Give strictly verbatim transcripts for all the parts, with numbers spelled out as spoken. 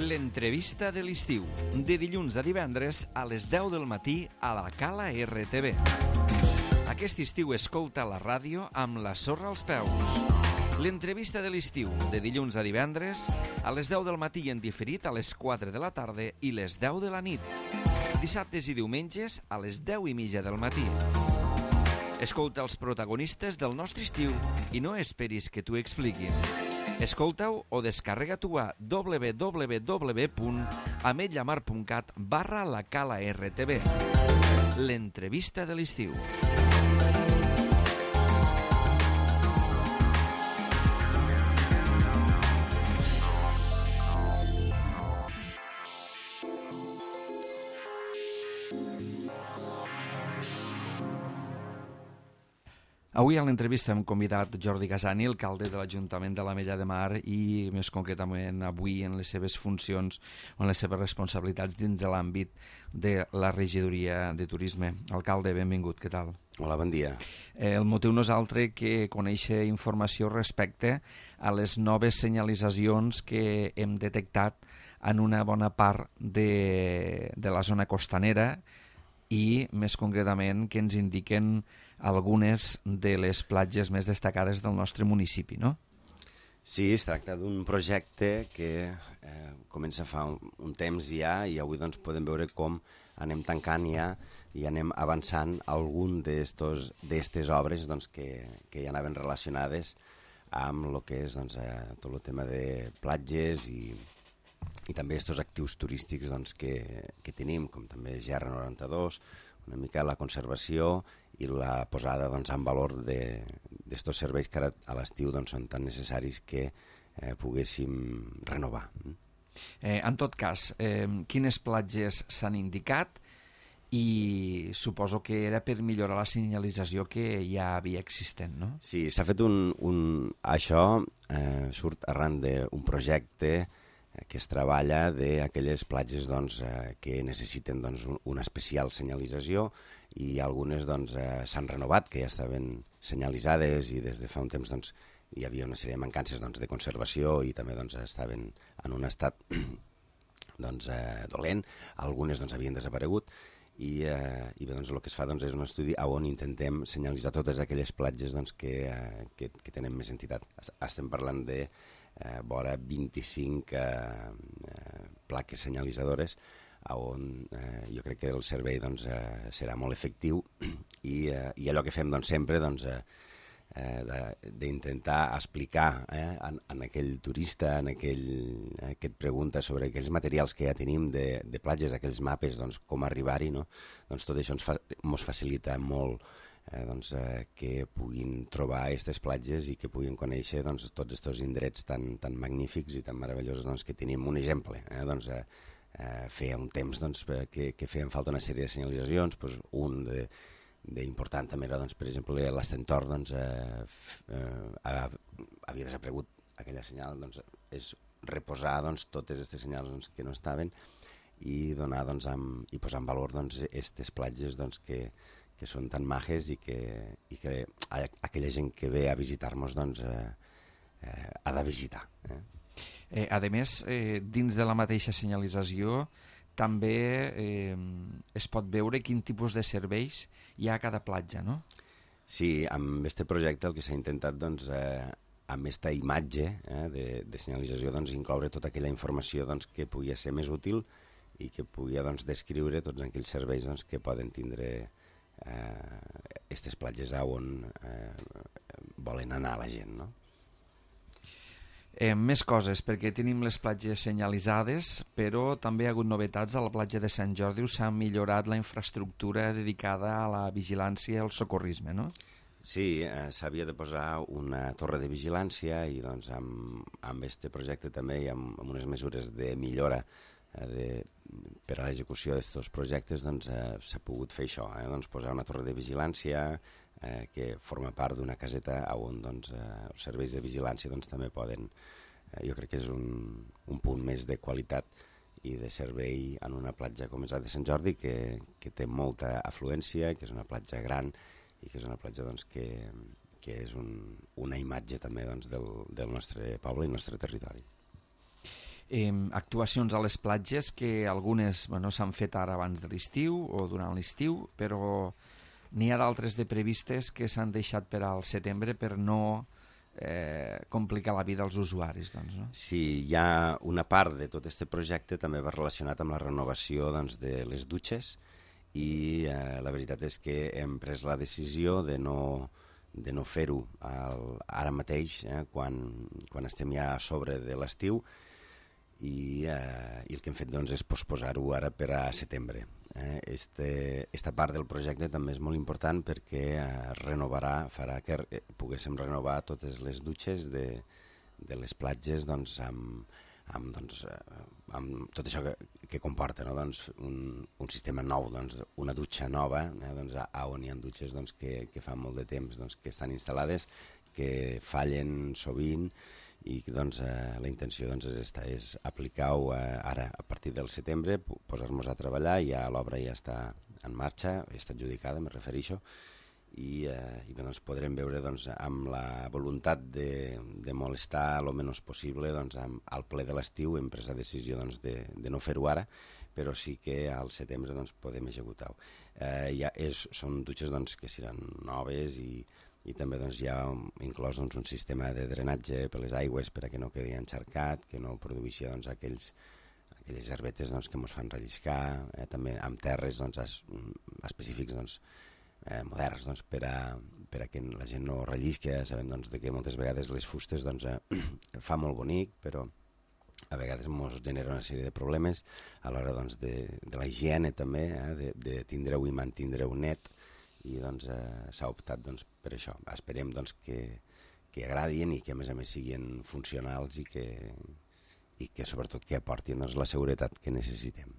L'entrevista de l'estiu, de dilluns a divendres a les deu del matí a la Cala R T V. Aquest estiu escolta la ràdio amb la sorra als peus. L'entrevista de l'estiu, de dilluns a divendres a les deu del matí en diferit a les quatre de la tarda i les deu de la nit. Dissabtes i diumenges a les deu i mitja del matí. Escolta els protagonistes del nostre estiu i no esperis que t'ho expliquin. Escolta-ho o descarrega-t'ho a w w w punt ametlllamar punt cat barra la Cala R T V. L'entrevista de l'estiu. Avui a l'entrevista hem convidat Jordi Casani, alcalde de l'Ajuntament de l'Ametlla de Mar i més concretament avui en les seves funcions o en les seves responsabilitats dins de l'àmbit de la regidoria de turisme. Alcalde, benvingut, què tal? Hola, bon dia. Eh, el motiu no és altre que conèixer informació respecte a les noves senyalitzacions que hem detectat en una bona part de, de la zona costanera i més concretament que ens indiquen algunes de les platges més destacades del nostre municipi, no? Sí, es tracta d'un projecte que eh, comença fa un, un temps ja i avui doncs, podem veure com anem tancant ja i anem avançant algun d'aquestes obres doncs, que, que ja anaven relacionades amb el que és doncs, eh, tot el tema de platges i, i també aquests actius turístics doncs, que, que tenim, com també G R noranta-dos, una mica la conservació i la posada doncs, en valor d'aquests serveis que ara a l'estiu doncs, són tan necessaris que eh, poguéssim renovar. Eh, en tot cas, eh, quines platges s'han indicat i suposo que era per millorar la senyalització que ja havia existent, no? Sí, s'ha fet un... un això eh, surt arran d'un projecte que es treballa d'aquelles platges doncs, eh, que necessiten doncs, un, una especial senyalització i algunes doncs, eh, s'han renovat, que ja estaven senyalitzades i des de fa un temps doncs, hi havia una sèrie de mancances doncs, de conservació i també doncs, estaven en un estat doncs, eh, dolent, algunes doncs, havien desaparegut i, eh, i bé, doncs, el que es fa doncs, és un estudi on intentem senyalitzar totes aquelles platges doncs, que, eh, que, que tenen més entitat. Estem parlant de Eh, vora vint-i-cinc eh, eh, plaques senyalitzadores on eh, jo crec que el servei doncs, eh, serà molt efectiu i, eh, i allò que fem doncs, sempre doncs, eh, eh, d'intentar explicar eh, en, en aquell turista en aquell, eh, que et pregunta sobre aquells materials que ja tenim de, de platges, aquells mapes, doncs, com arribar-hi, no? Doncs tot això ens, fa, ens facilita molt Eh, doncs, eh, que puguin trobar aquestes platges i que puguin conèixer doncs, tots aquests indrets tan, tan magnífics i tan meravellosos doncs, que tenim. Un exemple, eh, doncs, eh, eh, feia un temps doncs, que, que feien falta una sèrie de senyalitzacions, doncs, un de, d'important també era, doncs, per exemple, l'Estentor doncs, eh, eh, havia desaparegut aquella senyal, doncs, és reposar doncs, totes aquestes senyals doncs, que no estaven i, donar, doncs, amb, i posar en valor doncs, aquestes platges doncs, que que són tan majes i que, i que aquella gent que ve a visitar-nos doncs, eh, eh, ha de visitar. Eh? Eh, a més, eh, dins de la mateixa senyalització també eh, es pot veure quin tipus de serveis hi ha a cada platja, no? Sí, amb aquest projecte el que s'ha intentat doncs, eh, amb aquesta imatge eh, de, de senyalització doncs, incloure tota aquella informació doncs, que pugui ser més útil i que pugui doncs, descriure tots aquells serveis doncs, que poden tindre aquestes eh, platges on eh, volen anar la gent, no? Eh, més coses, perquè tenim les platges senyalitzades, però també hi ha hagut novetats a la platja de Sant Jordi, s'ha millorat la infraestructura dedicada a la vigilància i al socorrisme, no? Sí, eh, s'havia de posar una torre de vigilància i doncs amb, amb este projecte també i amb, amb unes mesures de millora De, per a l'execució d'aquests projectes doncs, eh, s'ha pogut fer això, eh, doncs, posar una torre de vigilància eh, que forma part d'una caseta on doncs, eh, els serveis de vigilància doncs, també poden, eh, jo crec que és un, un punt més de qualitat i de servei en una platja com és la de Sant Jordi que, que té molta afluència, que és una platja gran i que és una platja doncs, que, que és un, una imatge també doncs, del, del nostre poble i el nostre territori. eh, actuacions a les platges que algunes bueno, s'han fet ara abans de l'estiu o durant l'estiu, però n'hi ha d'altres de previstes que s'han deixat per al setembre per no eh, complicar la vida als usuaris. Doncs, no? Sí, hi ha una part de tot aquest projecte també va relacionat amb la renovació doncs, de les dutxes i eh, la veritat és que hem pres la decisió de no, de no fer-ho ara mateix, eh, quan, quan estem ja a sobre de l'estiu, i, eh, i el que hem fet doncs, és posposar-ho ara per a setembre. Eh, este, esta part del projecte també és molt important perquè eh, renovarà, farà que poguéssim renovar totes les dutxes de, de les platges doncs, amb, amb, doncs, eh, amb tot això que, que comporta, no? Doncs, un, un sistema nou, doncs, una dutxa nova, eh, doncs, a on hi ha dutxes doncs, que, que fa molt de temps doncs, que estan instal·lades, que fallen sovint, i doncs, eh, la intenció doncs, és, esta, és aplicar-ho eh, ara, a partir del setembre, posar-nos a treballar, ja l'obra ja està en marxa, ja està adjudicada, me refereixo, i, eh, i doncs, podrem veure doncs, amb la voluntat de, de molestar el menys possible doncs, amb, al ple de l'estiu hem pres la decisió doncs, de, de no fer-ho ara, però sí que al setembre doncs, podem executar-ho. Eh, ja és, són dutxes doncs, que seran noves i i també doncs, hi ha inclòs doncs, un sistema de drenatge per les aigües per a que no quedi encharcat, que no produeixi doncs, aquells, aquelles herbetes doncs, que ens fan relliscar, eh, també amb terres doncs, es, específics doncs, eh, moderns doncs, per, a, per a que la gent no rellisqui. Sabem doncs, de que moltes vegades les fustes doncs, eh, fa molt bonic, però a vegades ens genera una sèrie de problemes a l'hora doncs, de, de la higiene també, eh, de, de tindre-ho i mantindre-ho net, i doncs, eh, s'ha optat doncs, per això. Esperem doncs, que, que agradin i que a més a més siguin funcionals i que, i que sobretot que aportin doncs, la seguretat que necessitem.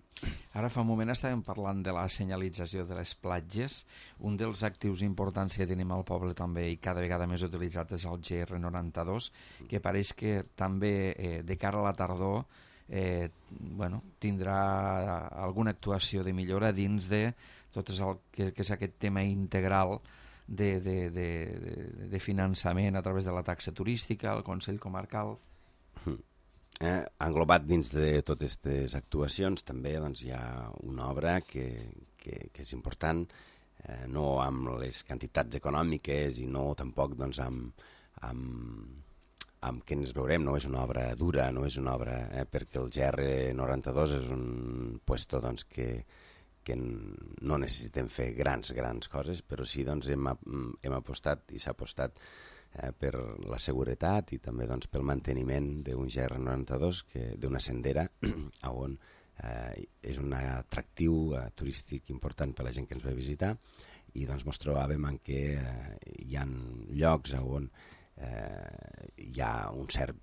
Ara fa un moment estàvem parlant de la senyalització de les platges. Un dels actius importants que tenim al poble també i cada vegada més utilitzat és el G R noranta-dos, que pareix que també eh, de cara a la tardor eh, bueno, tindrà alguna actuació de millora dins de tot el que, que és aquest tema integral de, de, de, de, de finançament a través de la taxa turística, el Consell Comarcal. Eh, englobat dins de totes aquestes actuacions també doncs, hi ha una obra que, que, que és important, eh, no amb les quantitats econòmiques i no tampoc doncs, amb, amb, amb què ens veurem, no és una obra dura, no és una obra, eh, perquè el G R noranta-dos és un puesto doncs, que que no necessitem fer grans, grans coses, però sí doncs, hem, hem apostat i s'ha apostat eh, per la seguretat i també doncs, pel manteniment d'un G R noranta-dos, d'una sendera, on eh, és un atractiu eh, turístic important per a la gent que ens ve a visitar, i doncs ens trobàvem en què eh, hi ha llocs on eh, hi ha un cert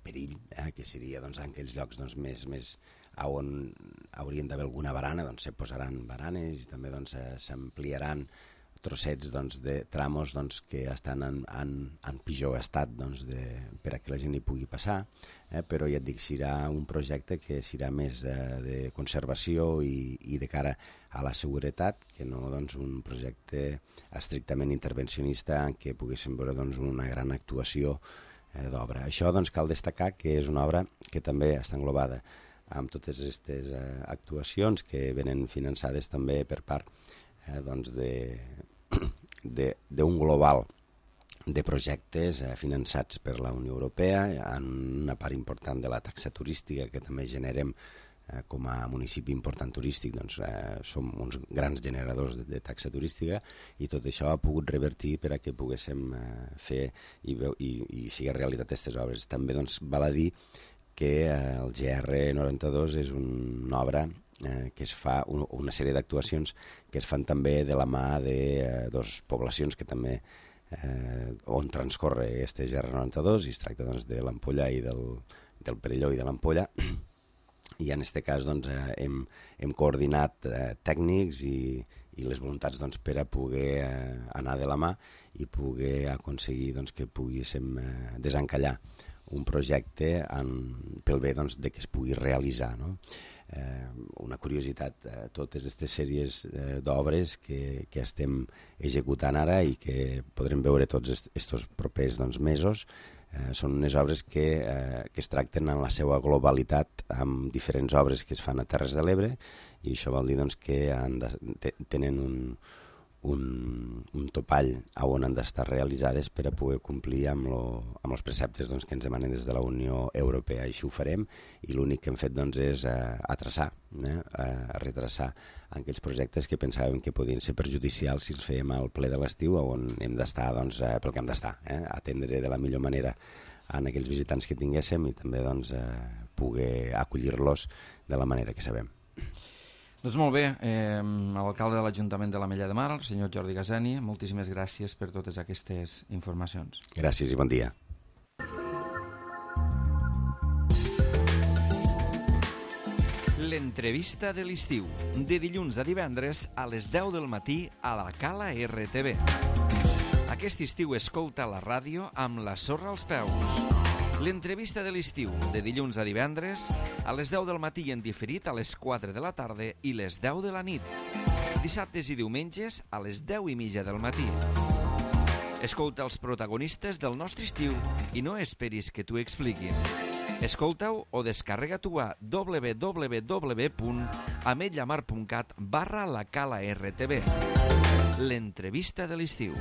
perill, eh, que seria doncs, en aquells llocs doncs, més, més on haurien d'haver alguna barana, doncs se posaran baranes i també doncs, s'ampliaran trossets doncs, de tramos doncs, que estan en, en, en pitjor estat doncs, de, per a que la gent hi pugui passar, eh, però ja et dic, serà un projecte que serà més eh, de conservació i, i de cara a la seguretat, que no doncs, un projecte estrictament intervencionista en què poguéssim veure doncs, una gran actuació eh, d'obra. Això doncs, cal destacar que és una obra que també està englobada amb totes aquestes eh, actuacions que venen finançades també per part eh, doncs d'un global de projectes eh, finançats per la Unió Europea, en una part important de la taxa turística que també generem eh, com a municipi important turístic, doncs eh, som uns grans generadors de, de taxa turística, i tot això ha pogut revertir per a que poguéssim eh, fer i, i, i sigui realitat aquestes obres. També doncs, val a dir que eh, el G R noranta-dos és una obra eh, que es fa, un, una sèrie d'actuacions que es fan també de la mà de eh, dues poblacions que també eh, on transcorre este G R noranta-dos, i es tracta doncs, de l'Ampolla i del, del Perelló i de l'Ampolla, i en aquest cas doncs, eh, hem, hem coordinat eh, tècnics i, i les voluntats doncs, per a poder eh, anar de la mà i poder aconseguir doncs, que poguéssim eh, desencallar un projecte en, pel bé doncs, de que es pugui realitzar. No? eh, una curiositat, eh, totes aquestes sèries eh, d'obres que, que estem executant ara i que podrem veure tots aquests propers doncs, mesos, eh, són unes obres que, eh, que es tracten en la seva globalitat amb diferents obres que es fan a Terres de l'Ebre, i això vol dir doncs, que han de, tenen un, un, un topall a on han d'estar realitzades per a poder complir amb, lo, amb els preceptes doncs, que ens demanen des de la Unió Europea. Així ho farem, i l'únic que hem fet doncs, és eh, a traçar, eh, a retraçar aquells projectes que pensàvem que podien ser perjudicials si els fèiem al ple de l'estiu, on hem d'estar doncs, eh, pel que hem d'estar, eh, atendre de la millor manera en aquells visitants que tinguéssim i també doncs, eh, poder acollir-los de la manera que sabem. Doncs molt bé, eh, l'alcalde de l'Ajuntament de l'Ametlla de Mar, el senyor Jordi Gazeni, moltíssimes gràcies per totes aquestes informacions. Gràcies i bon dia. L'entrevista de l'estiu, de dilluns a divendres a les deu del matí a la Cala R T V. Aquest estiu escolta la ràdio amb la sorra als peus. L'entrevista de l'estiu, de dilluns a divendres, a les deu del matí en diferit a les quatre de la tarda i les deu de la nit. Dissabtes i diumenges a les deu i mitja del matí. Escolta els protagonistes del nostre estiu i no esperis que t'ho expliquin. Escolta-ho o descarrega-t'ho a w w w punt ametllamar punt cat barra la Cala R T V. L'entrevista de l'estiu.